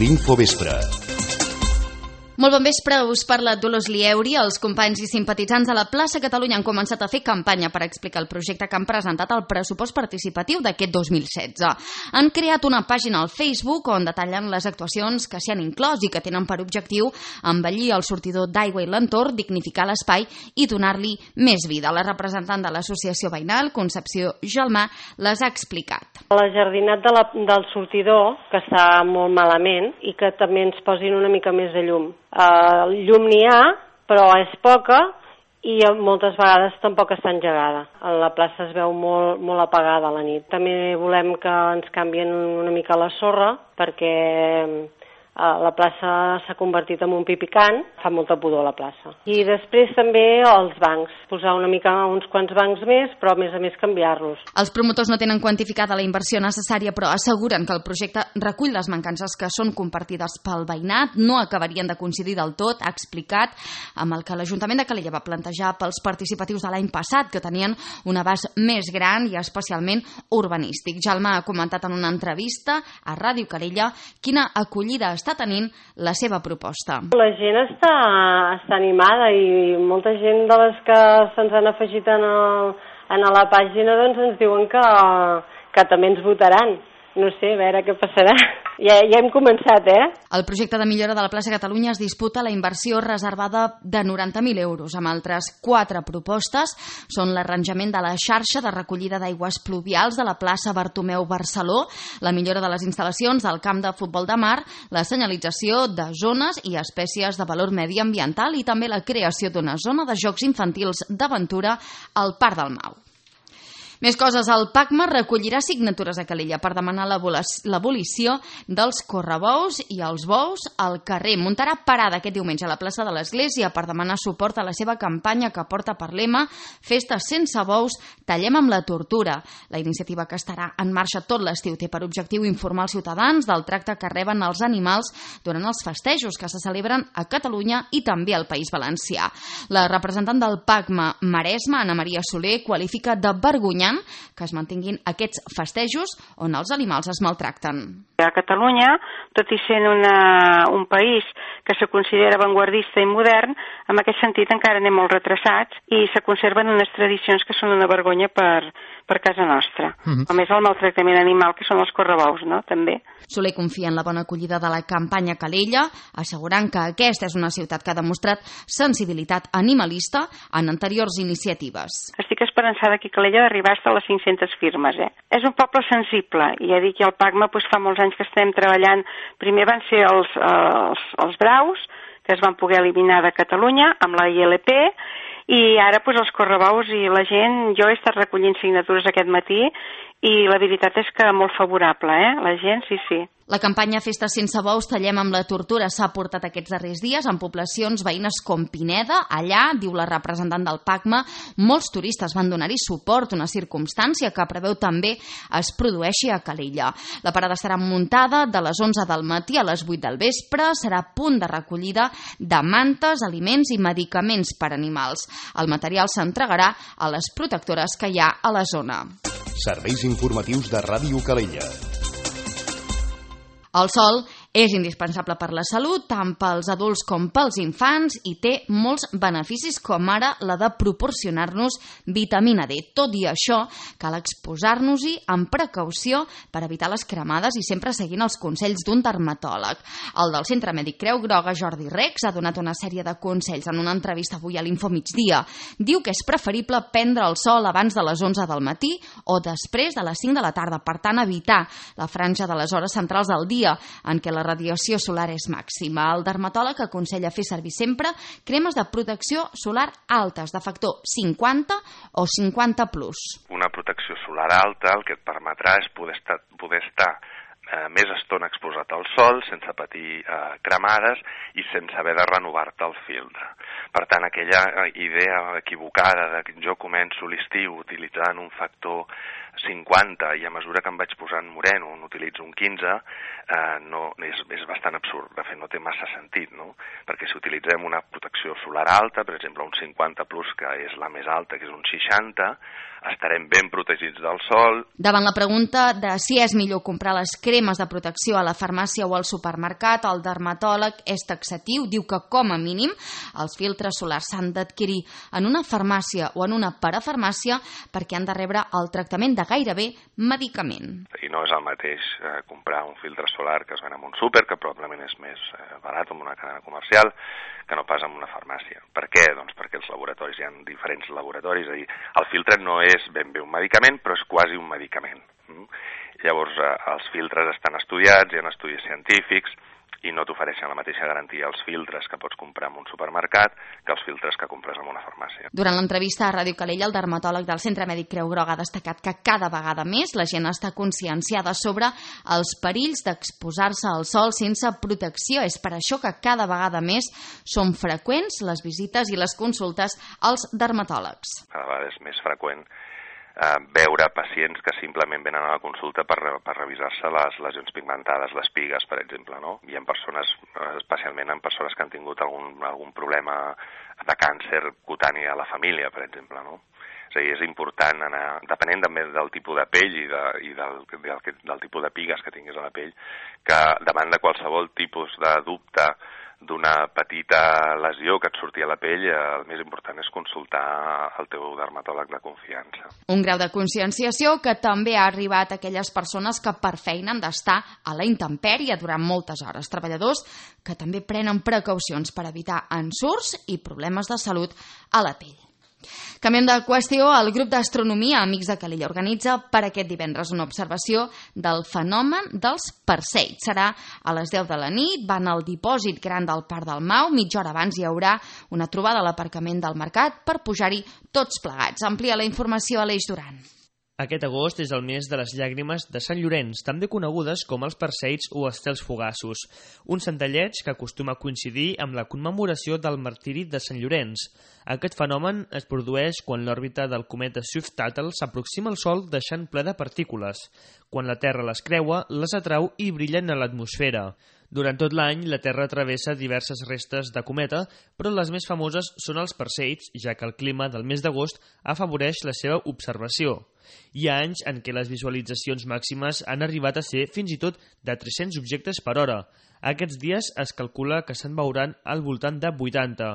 L'Infovespre. Molt bon vespre, us parla Dolors Lieuri. Els companys i simpatitzants de la plaça Catalunya han començat a fer campanya per explicar el projecte que han presentat al pressupost participatiu d'aquest 2016. Han creat una pàgina al Facebook on detallen les actuacions que s'hi han inclòs i que tenen per objectiu embellir el sortidor d'aigua i l'entorn, dignificar l'espai i donar-li més vida. La representant de l'associació veïnal, Concepció Gelmà, les ha explicat. La jardinat del sortidor, que està molt malament, i que també ens posin una mica més de llum. Llum n'hi ha, però és poca i moltes vegades tampoc està engegada. La plaça es veu molt apagada a la nit. També volem que ens canvien una mica la sorra perquè la plaça s'ha convertit en un pipicant, fa molta pudor la plaça. I després també els bancs, posar una mica uns quants bancs més, però a més canviar-los. Els promotors no tenen quantificada la inversió necessària, però asseguren que el projecte recull les mancances que són compartides pel veïnat, no acabarien de coincidir del tot, ha explicat, amb el que l'Ajuntament de Calella va plantejar pels participatius de l'any passat, que tenien un abast més gran i especialment urbanístic. Gelmà ha comentat en una entrevista a Ràdio Calella quina acollida està tenint la seva proposta. La gent està animada i molta gent de les que se'ns han afegit a la pàgina doncs ens diuen que també ens votaran. No sé, a veure què passarà. Ja hem començat, El projecte de millora de la plaça Catalunya es disputa la inversió reservada de 90.000 euros, amb altres 4 propostes. Són l'arranjament de la xarxa de recollida d'aigües pluvials de la plaça Bartomeu Barceló, la millora de les instal·lacions del camp de futbol de mar, la senyalització de zones i espècies de valor mediambiental i també la creació d'una zona de jocs infantils d'aventura al Parc del Mau. Més coses, el PACMA recollirà signatures a Calella per demanar l'abolició dels correbous i els bous al carrer. Muntarà parada aquest diumenge a la plaça de l'Església per demanar suport a la seva campanya que porta per lema Festes sense bous, tallem amb la tortura. La iniciativa, que estarà en marxa tot l'estiu, té per objectiu informar els ciutadans del tracte que reben els animals durant els festejos que se celebren a Catalunya i també al País Valencià. La representant del PACMA Maresme, Anna Maria Soler, qualifica de vergonyant que es mantinguin aquests festejos on els animals es maltracten. A Catalunya, tot i sent un país que se considera avantguardista i modern, en aquest sentit encara anem molt retrasats i se conserven unes tradicions que són una vergonya per casa nostra. Com és el maltractament animal, que són els correbous, no? També. Soler confia en la bona acollida de la campanya Calella, assegurant que aquesta és una ciutat que ha demostrat sensibilitat animalista en anteriors iniciatives. Estic esperançada aquí a Calella d'arribar a les 500 firmes. És un poble sensible, i ja dic que el PACMA fa molts anys que estem treballant. Primer van ser els braus, que es van poder eliminar de Catalunya amb la ILP, i ara els correbous i la gent. Jo he estat recollint signatures aquest matí i la veritat és que molt favorable, la gent, sí. La campanya Festes sense bous, tallem amb la tortura s'ha portat aquests darrers dies en poblacions veïnes com Pineda. Allà, diu la representant del PACMA, molts turistes van donar-hi suport, una circumstància que preveu també es produeixi a Calella. La parada serà muntada de les 11 del matí a les 8 del vespre, serà punt de recollida de mantes, aliments i medicaments per animals. El material s'entregarà a les protectores que hi ha a la zona. Serveis informatius de Ràdio Calella. El sol és indispensable per la salut, tant pels adults com pels infants, i té molts beneficis, com ara la de proporcionar-nos vitamina D. Tot i això, cal exposar-nos-hi amb precaució per evitar les cremades i sempre seguint els consells d'un dermatòleg. El del Centre Mèdic Creu Groga, Jordi Rex, ha donat una sèrie de consells en una entrevista avui a l'Infomigdia. Diu que és preferible prendre el sol abans de les 11 del matí o després de les 5 de la tarda, per tant evitar la franja de les hores centrals del dia en què la radiació solar és màxima. El dermatòleg aconsella fer servir sempre cremes de protecció solar altes, de factor 50 o 50+. Una protecció solar alta el que et permetrà és poder estar més estona exposat al sol, sense patir cremades i sense haver de renovar-te el filtre. Per tant, aquella idea equivocada de que jo començo l'estiu utilitzant un factor 50 i a mesura que em vaig posant moreno n'utilitzo un 15, és bastant absurd. De fet, no té massa sentit, no? Perquè si utilitzem una protecció solar alta, per exemple un 50+, que és la més alta, que és un 60, estarem ben protegits del sol. Davant la pregunta de si és millor comprar les cremes de protecció a la farmàcia o al supermercat, el dermatòleg és taxatiu, diu que com a mínim els filtres solars s'han d'adquirir en una farmàcia o en una parafarmàcia perquè han de rebre el tractament de gairebé medicament. I no és el mateix comprar un filtre solar que es ven en un súper, que probablement és més barat en una cadena comercial, que no pas en una farmàcia. Per què? Doncs perquè els laboratoris, hi ha diferents laboratoris, és a dir, el filtre no és ben bé un medicament, però és quasi un medicament. Llavors, els filtres estan estudiats, hi ha estudis científics, i no t'ofereixen la mateixa garantia els filtres que pots comprar en un supermercat que els filtres que compres en una farmàcia. Durant l'entrevista a Ràdio Calella, el dermatòleg del Centre Mèdic Creu Groga ha destacat que cada vegada més la gent està conscienciada sobre els perills d'exposar-se al sol sense protecció. És per això que cada vegada més són freqüents les visites i les consultes als dermatòlegs. Cada vegada és més freqüent veure pacients que simplement venen a la consulta per revisar-se les lesions pigmentades, les pigues, per exemple, no? I en persones, especialment en persones que han tingut algun problema de càncer cutani a la família, per exemple, no? És a dir, és important anar, depenent també del tipus de pell i del tipus de pigues que tinguis a la pell, que davant de qualsevol tipus de dubte d'una petita lesió que et surti a la pell, el més important és consultar el teu dermatòleg de confiança. Un grau de conscienciació que també ha arribat a aquelles persones que per feina han d'estar a la intempèrie durant moltes hores. Treballadors que també prenen precaucions per evitar ensurts i problemes de salut a la pell. Canviem de qüestió. El grup d'astronomia Amics de Calella organitza per aquest divendres una observació del fenomen dels perseids. Serà a les 10 de la nit, van al dipòsit gran del Parc del Mau. Mitja hora abans hi haurà una trobada a l'aparcament del Mercat per pujar-hi tots plegats. Amplia la informació a l'Eix Duran. Aquest agost és el mes de les llàgrimes de Sant Llorenç, també conegudes com els perseids o estels fugassos, un centelleig que acostuma a coincidir amb la commemoració del martiri de Sant Llorenç. Aquest fenomen es produeix quan l'òrbita del cometa Swift-Tuttle s'aproxima al Sol deixant ple de partícules. Quan la Terra les creua, les atrau i brillen a l'atmosfera. Durant tot l'any, la Terra travessa diverses restes de cometa, però les més famoses són els perseids, ja que el clima del mes d'agost afavoreix la seva observació. Hi ha anys en què les visualitzacions màximes han arribat a ser fins i tot de 300 objectes per hora. Aquests dies es calcula que se'n veuran al voltant de 80.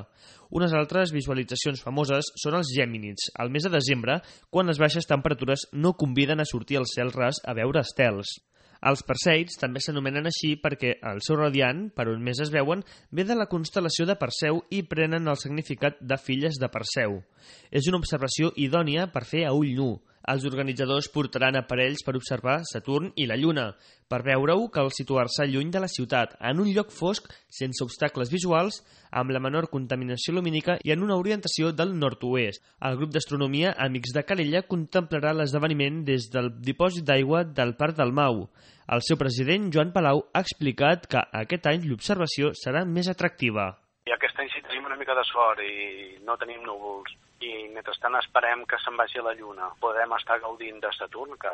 Unes altres visualitzacions famoses són els gèminids, al mes de desembre, quan les baixes temperatures no conviden a sortir al cel ras a veure estels. Els perseids també s'anomenen així perquè el seu radiant, per on més es veuen, ve de la constel·lació de Perseu i prenen el significat de filles de Perseu. És una observació idònia per fer a ull nu. Els organitzadors portaran aparells per observar Saturn i la Lluna. Per veure-ho cal situar-se lluny de la ciutat, en un lloc fosc, sense obstacles visuals, amb la menor contaminació lumínica i en una orientació del nord-oest. El grup d'astronomia Amics de Calella contemplarà l'esdeveniment des del dipòsit d'aigua del Parc del Mau. El seu president, Joan Palau, ha explicat que aquest any l'observació serà més atractiva. I aquest any sí tenim una mica de sort i no tenim núvols. I mentrestant esperem que se'n vagi a la Lluna. Podem estar gaudint de Saturn, que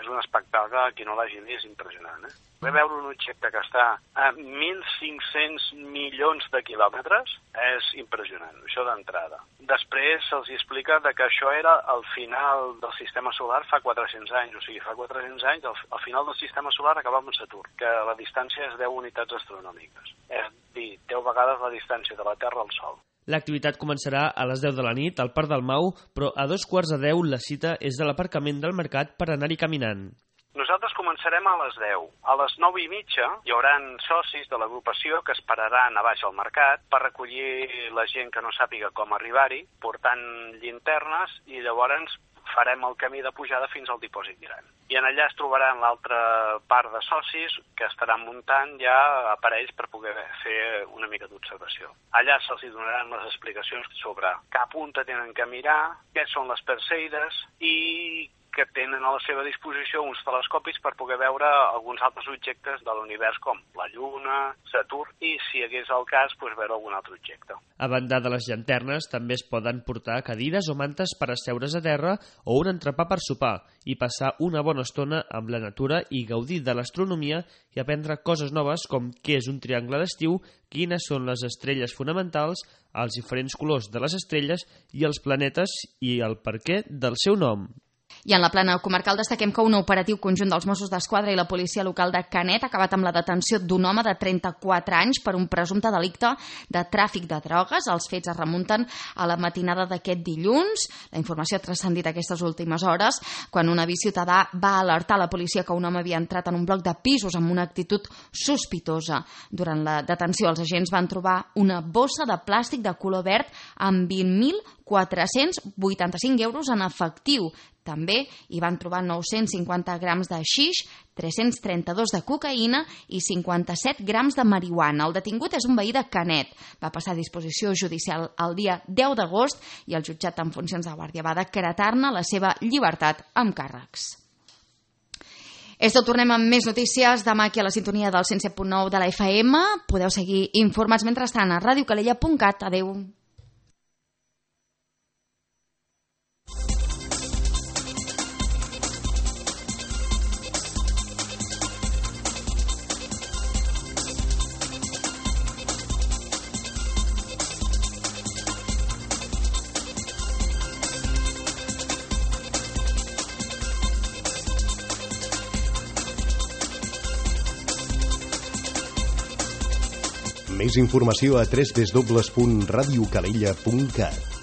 és un espectacle, qui no l'hagi vist, impressionant. Ve veure un objecte que està a 1.500 milions de quilòmetres és impressionant, això d'entrada. Després se'ls explica que això era el final del sistema solar fa 400 anys, o sigui, fa 400 anys al final del sistema solar acabava amb Saturn, que la distància és 10 unitats astronòmiques, és dir, 10 vegades la distància de la Terra al Sol. L'activitat començarà a les 10 de la nit al Parc del Mau, però a 2:15 la cita és de l'aparcament del Mercat per anar-hi caminant. Nosaltres començarem a les 10. A les 9:30 hi haurà socis de l'agrupació que esperaran a baix al mercat per recollir la gent que no sàpiga com arribar-hi, portant llinternes, i llavors farem el camí de pujada fins al dipòsit gran. I en allà es trobaran l'altra part de socis que estaran muntant ja aparells per poder fer una mica d'observació. Allà se'ls donaran les explicacions sobre cap punta tenen que mirar, què són les perseides i que tenen a la seva disposició uns telescopis per poder veure alguns altres objectes de l'univers com la Lluna, Saturn i, si hi hagués el cas, veure algun altre objecte. A banda de les llanternes, també es poden portar cadires o mantes per asseure's a terra o un entrepà per sopar i passar una bona estona amb la natura i gaudir de l'astronomia i aprendre coses noves com què és un triangle d'estiu, quines són les estrelles fonamentals, els diferents colors de les estrelles i els planetes i el perquè del seu nom. I en la plana comarcal destaquem que un operatiu conjunt dels Mossos d'Esquadra i la policia local de Canet ha acabat amb la detenció d'un home de 34 anys per un presumpte delicte de tràfic de drogues. Els fets es remunten a la matinada d'aquest dilluns. La informació ha transcendit aquestes últimes hores quan un avís ciutadà va alertar la policia que un home havia entrat en un bloc de pisos amb una actitud sospitosa. Durant la detenció, els agents van trobar una bossa de plàstic de color verd amb 20.485 euros en efectiu. També hi van trobar 950 grams de xix, 332 de cocaïna i 57 grams de marihuana. El detingut és un veí de Canet. Va passar a disposició judicial el dia 10 d'agost i el jutjat en funcions de guàrdia va decretar-ne la seva llibertat amb càrrecs. Esto, tornem amb més notícies demà aquí a la sintonia del 107.9 de la FM. Podeu seguir informats mentrestant a radiocalella.cat. Adeu. Més informació a www.radiocalella.cat.